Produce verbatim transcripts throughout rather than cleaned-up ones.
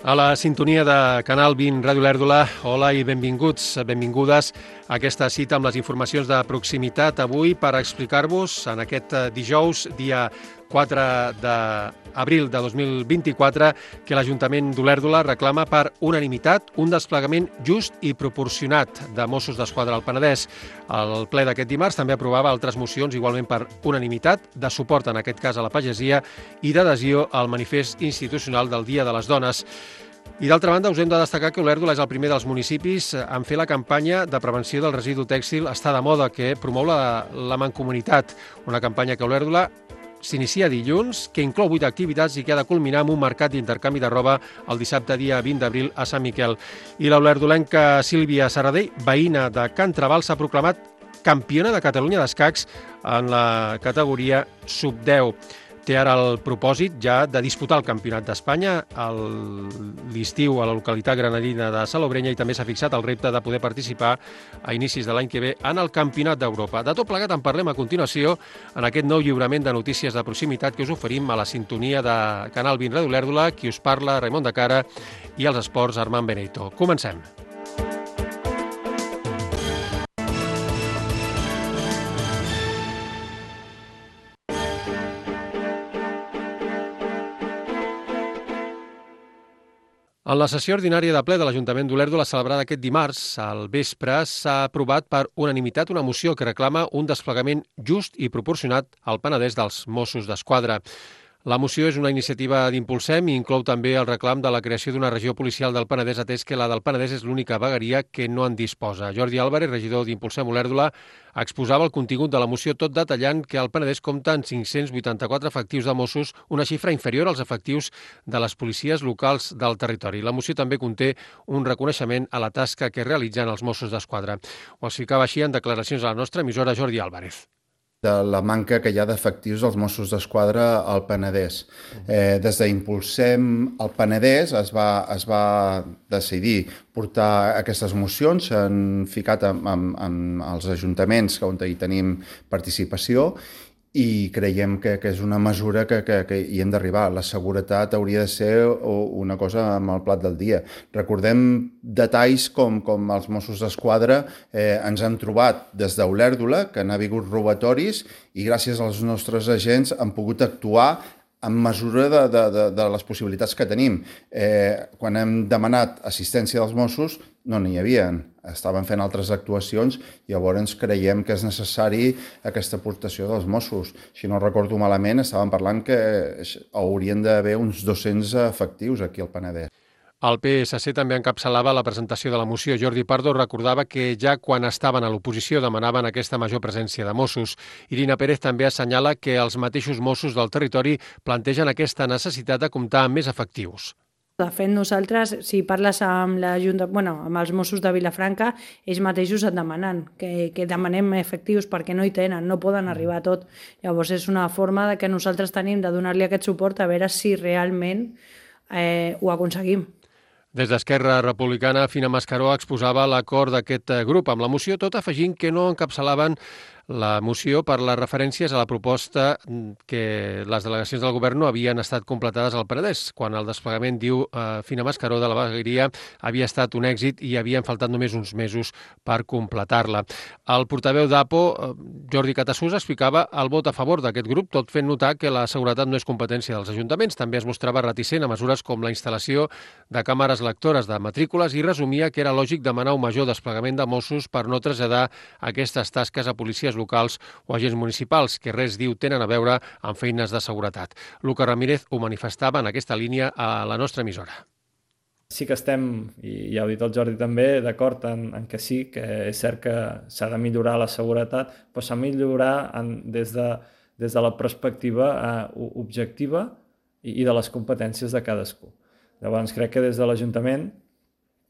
A la sintonia de Canal vint Ràdio Lèrdula, hola i benvinguts, benvingudes a aquesta cita amb les informacions de proximitat avui per explicar-vos en aquest dijous, dia quatre d'abril de dos mil vint-i-quatre, que l'Ajuntament d'Olèrdola reclama per unanimitat un desplegament just i proporcionat de Mossos d'Esquadra al Penedès. El ple d'aquest dimarts també aprovava altres mocions igualment per unanimitat, de suport en aquest cas a la pagesia i d'adhesió al manifest institucional del Dia de les Dones. I d'altra banda, us hem de destacar que Olèrdola és el primer dels municipis en fer la campanya de prevenció del residu tèxtil Està de moda, que promou la, la Mancomunitat, una campanya que a Olèrdola s'inicia dilluns, que inclou vuit activitats i que ha de culminar amb un mercat d'intercanvi de roba el dissabte dia vint d'abril a Sant Miquel. I l'olèrdolenca Sílvia Serradell, veïna de Can Trabal, s'ha proclamat campiona de Catalunya d'escacs en la categoria sub deu. Té ara el propòsit ja de disputar el Campionat d'Espanya a l'estiu a la localitat granadina de Salobrenya i també s'ha fixat el repte de poder participar a inicis de l'any que ve en el Campionat d'Europa. De tot plegat en parlem a continuació en aquest nou lliurament de notícies de proximitat que us oferim a la sintonia de Canal vint Ràdio Lèrdula, qui us parla, Raimon de Cara, i els esports, Armand Benito. Comencem. En la sessió ordinària de ple de l'Ajuntament d'Olèrdola celebrada aquest dimarts, al vespre, s'ha aprovat per unanimitat una moció que reclama un desplegament just i proporcionat al Penedès dels Mossos d'Esquadra. La moció és una iniciativa d'Impulsem i inclou també el reclam de la creació d'una regió policial del Penedès, atès que la del Penedès és l'única vegueria que no en disposa. Jordi Álvarez, regidor d'Impulsem Olèrdola, exposava el contingut de la moció tot detallant que el Penedès compta amb cinc-cents vuitanta-quatre efectius de Mossos, una xifra inferior als efectius de les policies locals del territori. La moció també conté un reconeixement a la tasca que realitzen els Mossos d'Esquadra. Ho explicava així en declaracions a la nostra emissora Jordi Álvarez. De la manca que hi ha d'efectius dels Mossos d'Esquadra al Penedès. Eh, des d'Impulsem al Penedès es va, es va decidir portar aquestes mocions, s'han ficat amb, amb, amb els ajuntaments on hi tenim participació i creiem que, que és una mesura que, que, que hi hem d'arribar. La seguretat hauria de ser una cosa amb el plat del dia. Recordem detalls com, com els Mossos d'Esquadra eh, ens han trobat des d'Olèrdola, que han hagut robatoris i gràcies als nostres agents han pogut actuar en mesura de, de, de, de les possibilitats que tenim. Eh, quan hem demanat assistència dels Mossos, no n'hi havia. Estaven fent altres actuacions i llavors creiem que és necessari aquesta aportació dels Mossos. Si no recordo malament, estàvem parlant que haurien d'haver uns dos-cents efectius aquí al Penedès. El P S C també encapçalava la presentació de la moció. Jordi Pardo recordava que ja quan estaven a l'oposició demanaven aquesta major presència de Mossos. Irina Pérez també assenyala que els mateixos Mossos del territori plantegen aquesta necessitat de comptar amb més efectius. De fet, nosaltres, si parles amb, la Junta, bueno, amb els Mossos de Vilafranca, ells mateixos et demanen que, que demanem efectius perquè no hi tenen, no poden arribar a tot. Llavors és una forma de que nosaltres tenim de donar-li aquest suport a veure si realment eh, ho aconseguim. Des d'Esquerra Republicana, Fina Mascaró exposava l'acord d'aquest grup amb la moció, tot afegint que no encapçalaven la moció per les referències a la proposta que les delegacions del govern no havien estat completades al Penedès, quan el desplegament, diu eh, Fina Mascaró, de la vegueria havia estat un èxit i havien faltat només uns mesos per completar-la. El portaveu d'A P O, eh, Jordi Catassús, explicava el vot a favor d'aquest grup, tot fent notar que la seguretat no és competència dels ajuntaments. També es mostrava reticent a mesures com la instal·lació de càmeres lectores de matrícules i resumia que era lògic demanar un major desplegament de Mossos per no traslladar aquestes tasques a policies locals o agents municipals, que res, diu, tenen a veure amb feines de seguretat. Luca Ramírez ho manifestava en aquesta línia a la nostra emissora. Sí que estem, i ja ho ha dit el Jordi també, d'acord en, en que sí, que és cert que s'ha de millorar la seguretat, però s'ha de millorar en, des, de, des de la perspectiva eh, objectiva i, i de les competències de cadascú. Llavors crec que des de l'Ajuntament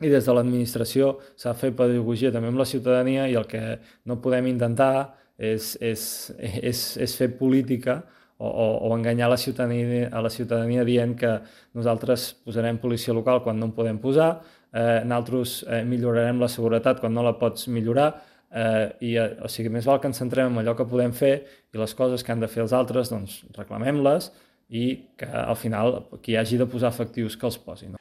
i des de l'administració s'ha de fer pedagogia també amb la ciutadania i el que no podem intentar és, és, és, és fer política o, o, o enganyar la ciutadania, a la ciutadania dient que nosaltres posarem policia local quan no en podem posar, eh, nosaltres eh, millorarem la seguretat quan no la pots millorar, eh, i, eh, o sigui, més val que ens centrem en allò que podem fer i les coses que han de fer els altres, doncs reclamem-les i que al final qui hagi de posar efectius que els posin.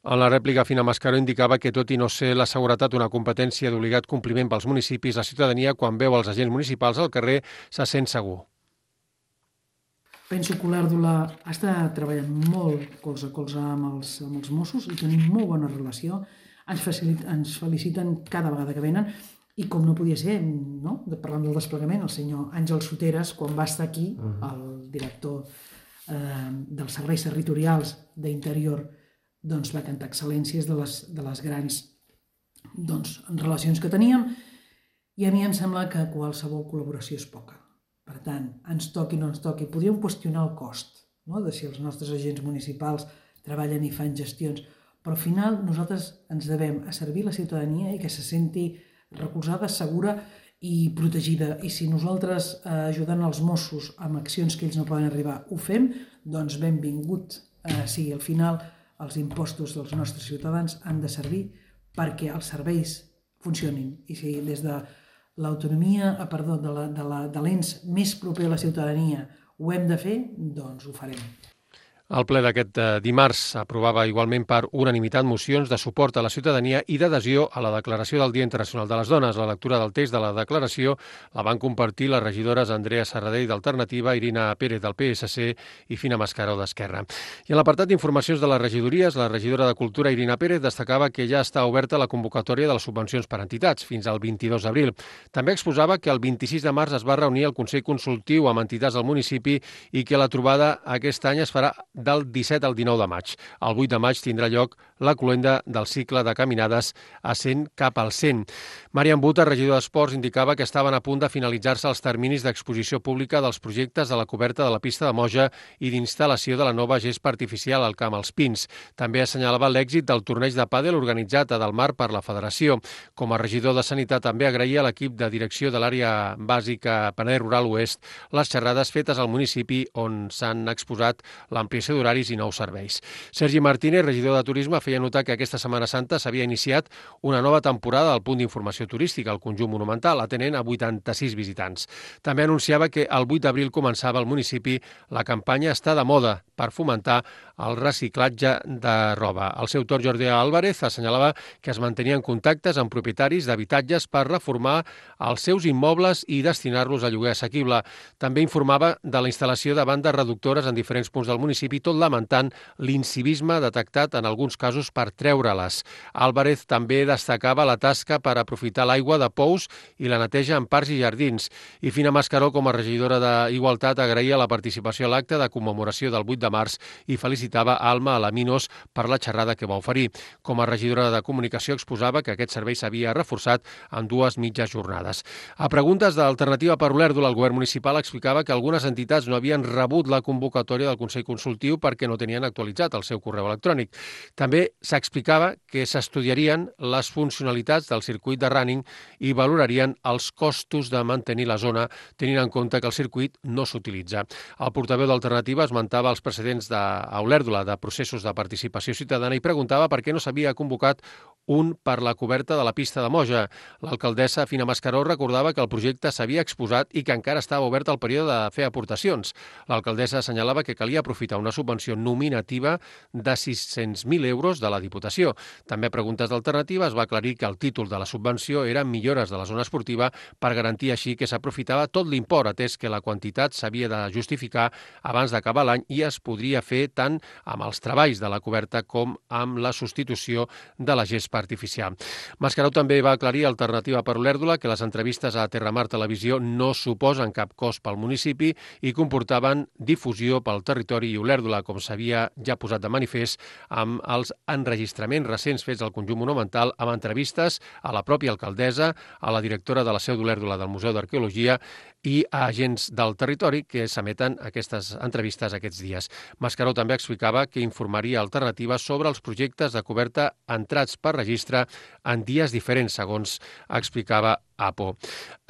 En la rèplica, Fina Mascaró indicava que, tot i no ser la seguretat una competència d'obligat compliment pels municipis, la ciutadania, quan veu els agents municipals al carrer, se sent segur. Penso que l'Èrdula està treballant molt colze a colze amb els, amb els Mossos i tenim molt bona relació. Ens, facilita, ens feliciten cada vegada que venen i com no podia ser, no? Parlant del desplegament, el senyor Àngel Soteres, quan va estar aquí, el director eh, dels serveis territorials d'Interior, doncs va cantar excel·lències de les, de les grans doncs, relacions que teníem i a mi em sembla que qualsevol col·laboració és poca. Per tant, ens toqui o no ens toqui, podríem qüestionar el cost, no? De si els nostres agents municipals treballen i fan gestions, però al final nosaltres ens devem a servir la ciutadania i que se senti recolzada, segura i protegida. I si nosaltres eh, ajudant els Mossos amb accions que ells no poden arribar ho fem, doncs benvingut eh, sigui. Al final els impostos dels nostres ciutadans han de servir perquè els serveis funcionin. I si des de l'autonomia, perdó, de la, de la, de l'ens més proper a la ciutadania ho hem de fer, doncs ho farem. El ple d'aquest dimarts aprovava igualment per unanimitat mocions de suport a la ciutadania i d'adhesió a la declaració del Dia Internacional de les Dones. La lectura del text de la declaració la van compartir les regidores Andrea Serradell d'Alternativa, Irina Pérez del P S C i Fina Mascaró d'Esquerra. I en l'apartat d'informacions de les regidories, la regidora de Cultura, Irina Pérez, destacava que ja està oberta la convocatòria de les subvencions per entitats fins al vint-i-dos d'abril. També exposava que el vint-i-sis de març es va reunir el Consell Consultiu amb entitats del municipi i que la trobada aquest any es farà del disset al dinou de maig. El vuit de maig tindrà lloc la cloenda del cicle de caminades a cent cap al cent. Marian Buta, regidor d'Esports, indicava que estaven a punt de finalitzar-se els terminis d'exposició pública dels projectes de la coberta de la pista de Moja i d'instal·lació de la nova gespa artificial al Camp als Pins. També assenyalava l'èxit del torneig de pàdel organitzat a Delmar per la Federació. Com a regidor de Sanitat també agraïa a l'equip de direcció de l'àrea bàsica Penedès Rural Oest les xerrades fetes al municipi on s'han exposat l'ampliació d'horaris i nous serveis. Sergi Martínez, regidor de Turisme, feia notar que aquesta Setmana Santa s'havia iniciat una nova temporada del punt d'informació turística, el conjunt monumental, atenent a vuitanta-sis visitants. També anunciava que el vuit d'abril començava al municipi la campanya Està de moda per fomentar el reciclatge de roba. Al seu torn, Jordi Álvarez assenyalava que es mantenien contactes amb propietaris d'habitatges per reformar els seus immobles i destinar-los a lloguer assequible. També informava de la instal·lació de bandes reductores en diferents punts del municipi, tot lamentant l'incivisme detectat en alguns casos per treure-les. Álvarez també destacava la tasca per aprofitar l'aigua de pous i la neteja en parcs i jardins. I Fina Mascaró, com a regidora d'Igualtat, agraïa la participació a l'acte de commemoració del vuit de març i felicitava Alma Alaminos per la xerrada que va oferir. Com a regidora de Comunicació exposava que aquest servei s'havia reforçat en dues mitges jornades. A preguntes d'Alternativa per Olèrdola, el govern municipal explicava que algunes entitats no havien rebut la convocatòria del Consell Consultiu perquè no tenien actualitzat el seu correu electrònic. També s'explicava que s'estudiarien les funcionalitats del circuit de running i valorarien els costos de mantenir la zona, tenint en compte que el circuit no s'utilitza. El portaveu d'Alternativa esmentava els precedents d'Olèrdola de processos de participació ciutadana i preguntava per què no s'havia convocat un per la coberta de la pista de Moja. L'alcaldessa Fina Mascaró recordava que el projecte s'havia exposat i que encara estava obert el període de fer aportacions. L'alcaldessa assenyalava que calia aprofitar una subvenció nominativa de sis-cents mil euros de la Diputació. També a preguntes d'Alternativa es va aclarir que el títol de la subvenció era millores de la zona esportiva per garantir així que s'aprofitava tot l'import, atès que la quantitat s'havia de justificar abans d'acabar l'any i es podria fer tant amb els treballs de la coberta com amb la substitució de la gespa artificial. Mascaró també va aclarir a Alternativa per Olèrdola que les entrevistes a Terramar Televisió no suposen cap cost pel municipi i comportaven difusió pel territori i Olèrdola, com s'havia ja posat de manifest amb els enregistraments recents fets al conjunt monumental amb entrevistes a la pròpia alcaldessa, a la directora de la seu d'Olèrdola del Museu d'Arqueologia i a agents del territori que s'emeten aquestes entrevistes aquests dies. Mascaró també explicava que informaria Alternativa sobre els projectes de coberta entrats per registre en dies diferents, segons explicava APO.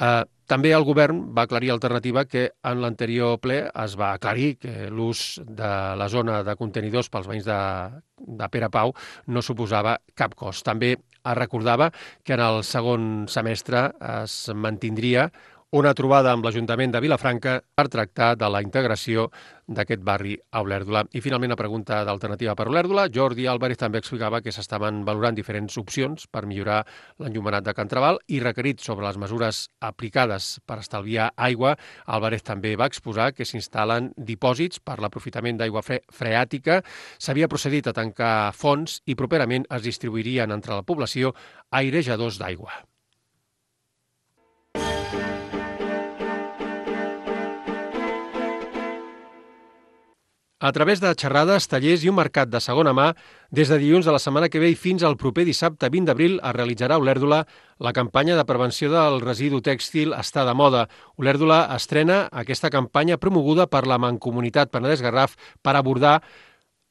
Eh, també el govern va aclarir Alternativa que en l'anterior ple es va aclarir que l'ús de la zona de contenidors pels veïns de, de Pere Pau no suposava cap cost. També es recordava que en el segon semestre es mantindria una trobada amb l'Ajuntament de Vilafranca per tractar de la integració d'aquest barri a Olèrdola. I finalment la pregunta d'alternativa per Olèrdola. Jordi Álvarez també explicava que s'estaven valorant diferents opcions per millorar l'enllumenat de Can Trabal i requerit sobre les mesures aplicades per estalviar aigua. Álvarez també va exposar que s'instal·len dipòsits per l'aprofitament d'aigua fre freàtica. S'havia procedit a tancar fonts i properament es distribuirien entre la població airejadors d'aigua. A través de xerrades, tallers i un mercat de segona mà, des de dilluns de la setmana que ve i fins al proper dissabte vint d'abril es realitzarà a Olèrdola la campanya de prevenció del residu tèxtil Està de moda. Olèrdola estrena aquesta campanya promoguda per la Mancomunitat Penedès-Garraf per abordar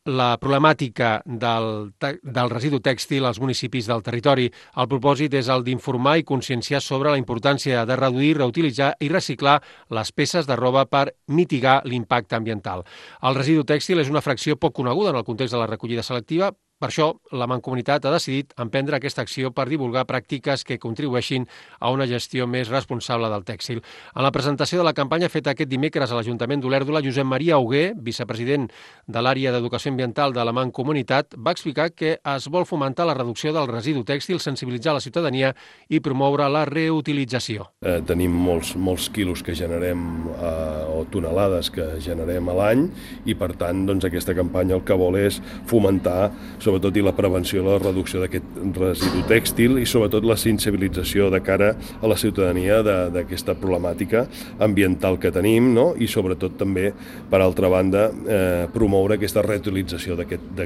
la problemàtica del, del residu tèxtil als municipis del territori. El propòsit és el d'informar i conscienciar sobre la importància de reduir, reutilitzar i reciclar les peces de roba per mitigar l'impacte ambiental. El residu tèxtil és una fracció poc coneguda en el context de la recollida selectiva. Per això, la Mancomunitat ha decidit emprendre aquesta acció per divulgar pràctiques que contribueixin a una gestió més responsable del tèxtil. En la presentació de la campanya feta aquest dimecres a l'Ajuntament d'Olèrdola, Josep Maria Hugué, vicepresident de l'àrea d'Educació Ambiental de la Mancomunitat, va explicar que es vol fomentar la reducció del residu tèxtil, sensibilitzar la ciutadania i promoure la reutilització. Eh, tenim molts, molts quilos que generem eh, o tonelades que generem a l'any i, per tant, doncs, aquesta campanya el que vol és fomentar sobretot i la prevenció i la reducció d'aquest residu tèxtil i sobretot la sensibilització de cara a la ciutadania d'aquesta problemàtica ambiental que tenim, no? I sobretot també, per altra banda, eh, promoure aquesta reutilització d'aquests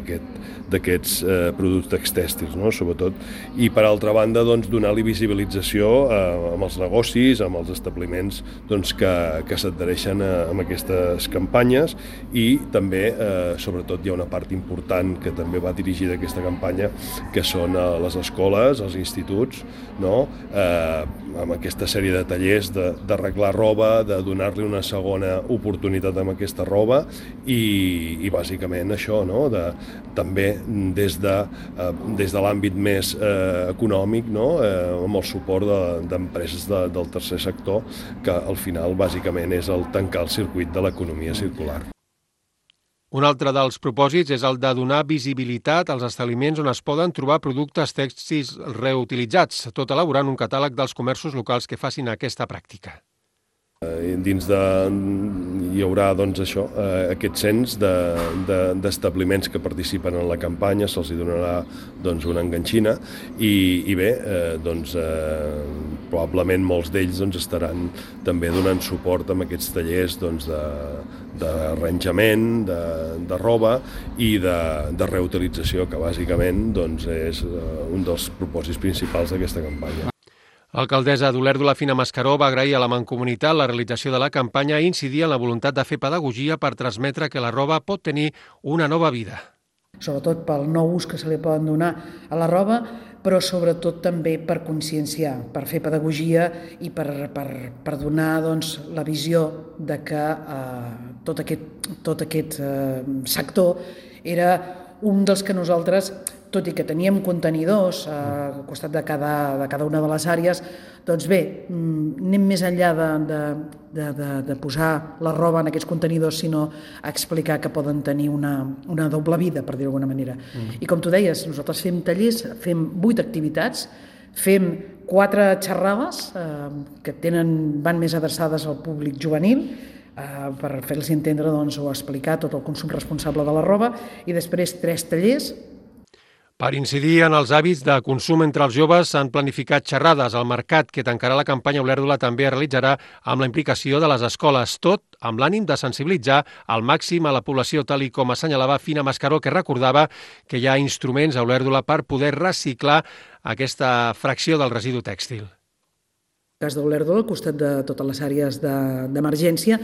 aquest, eh, productes tèxtils, no? Sobretot, i per altra banda doncs, donar-li visibilització eh, amb els negocis, amb els establiments doncs, que, que s'adhereixen a, a aquestes campanyes i també, eh, sobretot, hi ha una part important que també va dirigir d'aquesta campanya, que són a les escoles, als instituts, no? eh, amb aquesta sèrie de tallers d'arreglar roba, de donar-li una segona oportunitat amb aquesta roba i, i bàsicament això, no? de, també des de, eh, des de l'àmbit més eh, econòmic, no? eh, amb el suport d'empreses de, de, del tercer sector, que al final bàsicament és el tancar el circuit de l'economia circular. Un altre dels propòsits és el de donar visibilitat als establiments on es poden trobar productes tèxtils reutilitzats, tot elaborant un catàleg dels comerços locals que facin aquesta pràctica. Dins de, hi haurà doncs, això, eh, aquest cens d'establiments de, de, que participen en la campanya, se'ls donarà doncs, una enganxina i, i bé, eh, doncs, eh, probablement molts d'ells doncs, estaran també donant suport amb aquests tallers doncs, de, d'arranjament, de, de roba i de, de reutilització, que bàsicament doncs, és un dels propòsits principals d'aquesta campanya. L'alcaldessa d'Olèrdola, Fina Mascaró, va agrair a la Mancomunitat la realització de la campanya i incidir en la voluntat de fer pedagogia per transmetre que la roba pot tenir una nova vida. Sobretot pel nou ús que se li poden donar a la roba, però sobretot també per conscienciar, per fer pedagogia i per, per, per donar doncs, la visió de que eh, tot aquest, tot aquest eh, sector era un dels que nosaltres, tot i que teníem contenidors eh, al costat de cada, de cada una de les àrees, doncs bé, anem més enllà de, de, de, de, de posar la roba en aquests contenidors, sinó a explicar que poden tenir una, una doble vida, per dir-ho d'alguna manera. Mm. I com tu deies, nosaltres fem tallers, fem vuit activitats, fem quatre xerrades eh, que tenen, van més adreçades al públic juvenil, eh, per fer-los entendre doncs, o explicar tot el consum responsable de la roba, i després tres tallers. Per incidir en els hàbits de consum entre els joves s'han planificat xerrades. El mercat que tancarà la campanya Olèrdola també es realitzarà amb la implicació de les escoles, tot amb l'ànim de sensibilitzar al màxim a la població, tal i com assenyalava Fina Mascaró, que recordava que hi ha instruments a Olèrdola per poder reciclar aquesta fracció del residu tèxtil. En el cas d'Olèrdola, al costat de totes les àrees d'emergència,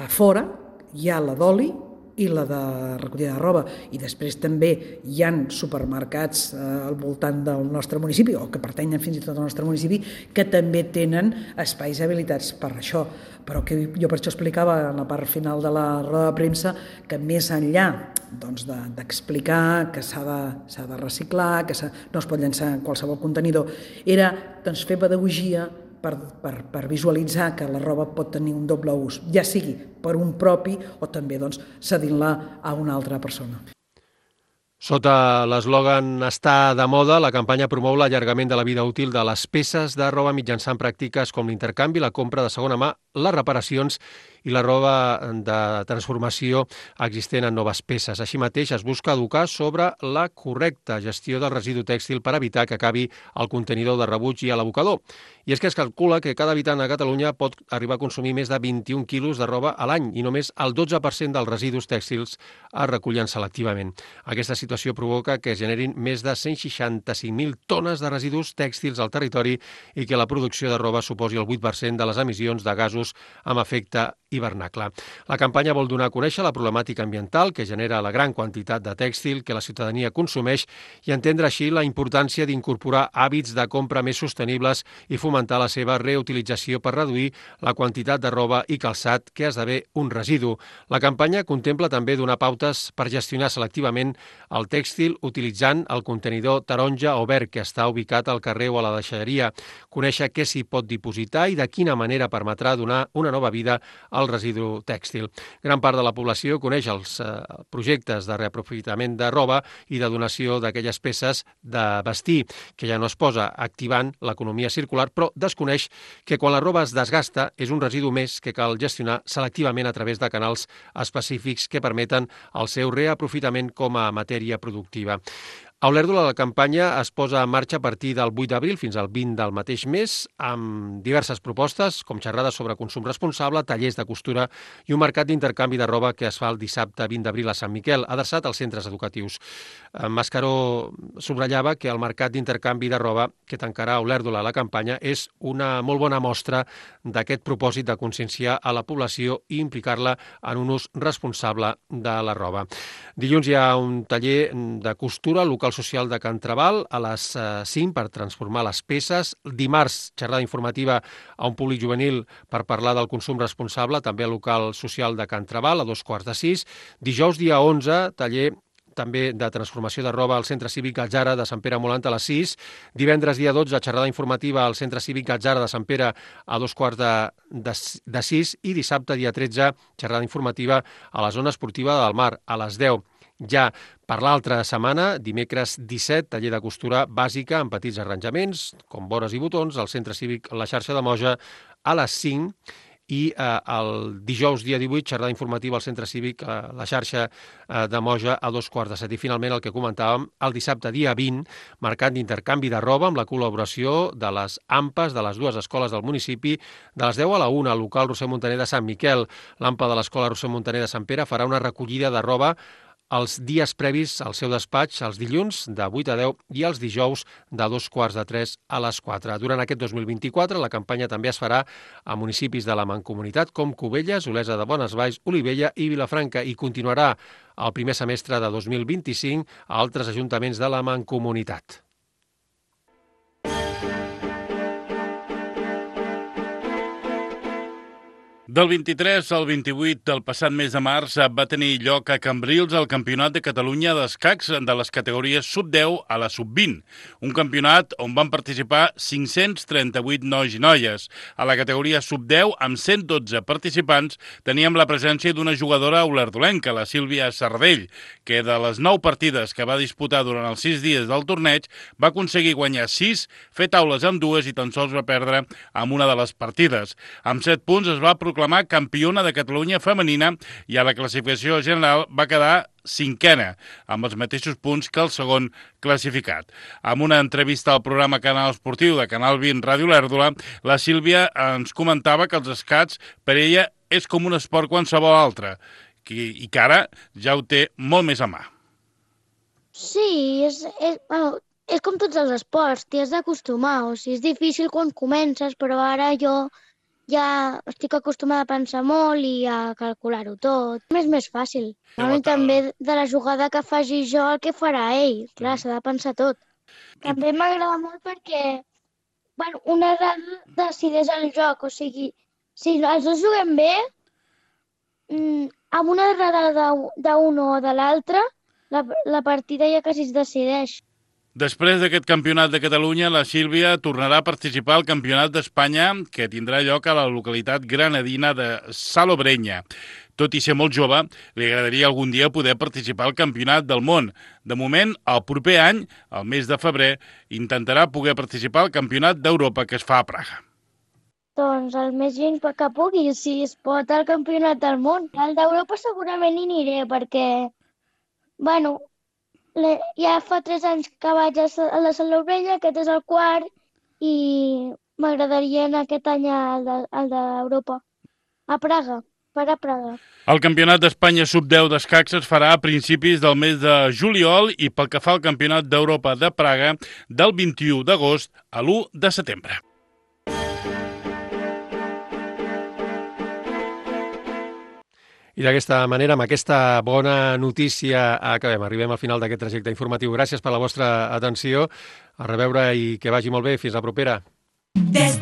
a fora hi ha la d'oli i la de recollida de roba, i després també hi ha supermercats eh, al voltant del nostre municipi, o que pertanyen fins i tot al nostre municipi, que també tenen espais habilitats per això, però que jo per això explicava en la part final de la roda de premsa que més enllà doncs, d'explicar que s'ha de, de reciclar, que no es pot llançar en qualsevol contenidor, era doncs, fer pedagogia per, per, per visualitzar que la roba pot tenir un doble ús, ja sigui per un propi o també doncs, cedint-la a una altra persona. Sota l'eslògan "Està de moda", la campanya promou l'allargament de la vida útil de les peces de roba mitjançant pràctiques com l'intercanvi, la compra de segona mà, les reparacions i la roba de transformació existent en noves peces. Així mateix, es busca educar sobre la correcta gestió del residu tèxtil per evitar que acabi al contenidor de rebuig i a l'abocador. I és que es calcula que cada habitant a Catalunya pot arribar a consumir més de vint-i-un quilos de roba a l'any i només el dotze per cent dels residus tèxtils es recullen selectivament. Aquesta situació provoca que es generin més de cent seixanta-cinc mil tones de residus tèxtils al territori i que la producció de roba suposi el vuit per cent de les emissions de gasos amb efecte hivernacle. La campanya vol donar a conèixer la problemàtica ambiental que genera la gran quantitat de tèxtil que la ciutadania consumeix i entendre així la importància d'incorporar hàbits de compra més sostenibles i fomentar la seva reutilització per reduir la quantitat de roba i calçat que esdevé un residu. La campanya contempla també donar pautes per gestionar selectivament el tèxtil utilitzant el contenidor taronja o verd que està ubicat al carrer o a la deixalleria, conèixer què s'hi pot dipositar i de quina manera permetrà donar una nova vida al residu tèxtil. Gran part de la població coneix els eh, projectes de reaprofitament de roba i de donació d'aquelles peces de vestir, que ja no es posa activant l'economia circular, però desconeix que quan la roba es desgasta és un residu més que cal gestionar selectivament a través de canals específics que permeten el seu reaprofitament com a matèria productiva. A Olèrdola, la campanya es posa en marxa a partir del vuit d'abril fins al vint del mateix mes, amb diverses propostes, com xerrades sobre consum responsable, tallers de costura i un mercat d'intercanvi de roba que es fa el dissabte vint d'abril a Sant Miquel, adreçat als centres educatius. Mascaró subratllava que el mercat d'intercanvi de roba que tancarà a Olèrdola la campanya és una molt bona mostra d'aquest propòsit de conscienciar a la població i implicar-la en un ús responsable de la roba. Dilluns hi ha un taller de costura al local social de Can Trabal a les cinc per transformar les peces. Dimarts, xerrada informativa a un públic juvenil per parlar del consum responsable, també al local social de Can Trabal a dos quarts de sis. Dijous, dia onze, taller també de transformació de roba al Centre Cívic Gatzara de Sant Pere Molant a les sis. Divendres, dia dotze, xerrada informativa al Centre Cívic Gatzara de Sant Pere a dos quarts de, de, de sis. I dissabte, dia tretze, xerrada informativa a la zona esportiva del Mar a les deu. Ja per l'altra setmana, dimecres disset, taller de costura bàsica amb petits arranjaments, com vores i botons, al Centre Cívic La Xarxa de Moja a les cinc. I eh, el dijous, dia divuit, xerrada informativa al Centre Cívic eh, La Xarxa eh, de Moja a dos quarts de set. I finalment, el que comentàvem, el dissabte, dia vint, mercat d'intercanvi de roba amb la col·laboració de les A M P As de les dues escoles del municipi de les deu a la una, al local Roser Montaner de Sant Miquel. L'A M P A de l'escola Roser Montaner de Sant Pere farà una recollida de roba els dies previs al seu despatx, els dilluns de vuit a deu i els dijous de dos quarts de tres a les quatre. Durant aquest dos mil vint-i-quatre, la campanya també es farà a municipis de la Mancomunitat com Cubelles, Olesa de Bonesvalls, Olivella i Vilafranca i continuarà el primer semestre de dos mil vint-i-cinc a altres ajuntaments de la Mancomunitat. Del vint-i-tres al vint-i-vuit del passat mes de març va tenir lloc a Cambrils el Campionat de Catalunya d'escacs de les categories sub deu a la sub vint, un campionat on van participar cinc-cents trenta-vuit nois i noies. A la categoria sub deu, amb cent dotze participants, teníem la presència d'una jugadora olerdolenca, la Sílvia Sardell, que de les nou partides que va disputar durant els sis dies del torneig va aconseguir guanyar sis, fer taules amb dues i tan sols va perdre amb una de les partides. Amb set punts es va proclamar campiona de Catalunya femenina i a la classificació general va quedar cinquena, amb els mateixos punts que el segon classificat. Amb una entrevista al programa Canal Esportiu de Canal vint Ràdio Olèrdola, la Sílvia ens comentava que els escacs per ella és com un esport qualsevol altre i que ara ja ho té molt més a mà. Sí, és, és, bueno, és com tots els esports, t'hi has d'acostumar. O sigui, és difícil quan comences, però ara jo ja estic acostumada a pensar molt i a calcular-ho tot. És més fàcil. I també de la jugada que faci jo el que farà ell. Clar, s'ha de pensar tot. També m'agrada molt perquè bueno, una errada decideix el joc. O sigui, si els dos juguem bé, amb una errada d'un o de l'altre, la, la partida ja quasi es decideix. Després d'aquest campionat de Catalunya, la Sílvia tornarà a participar al campionat d'Espanya, que tindrà lloc a la localitat granadina de Salobreña. Tot i ser molt jove, li agradaria algun dia poder participar al campionat del món. De moment, el proper any, al mes de febrer, intentarà poder participar al campionat d'Europa que es fa a Praga. Doncs el més lluny que pugui, si es pot, al campionat del món. Al d'Europa segurament hi aniré, perquè, bueno, ja fa tres anys que vaig a la Salobreña, aquest és el quart, i m'agradaria anar aquest any al d'Europa, a Praga, per a Praga. El Campionat d'Espanya sub deu d'escacs es farà a principis del mes de juliol i pel que fa al Campionat d'Europa de Praga, del vint-i-u d'agost a l'u de setembre. I d'aquesta manera, amb aquesta bona notícia, acabem. Arribem al final d'aquest trajecte informatiu. Gràcies per la vostra atenció. A reveure i que vagi molt bé. Fins la propera. Des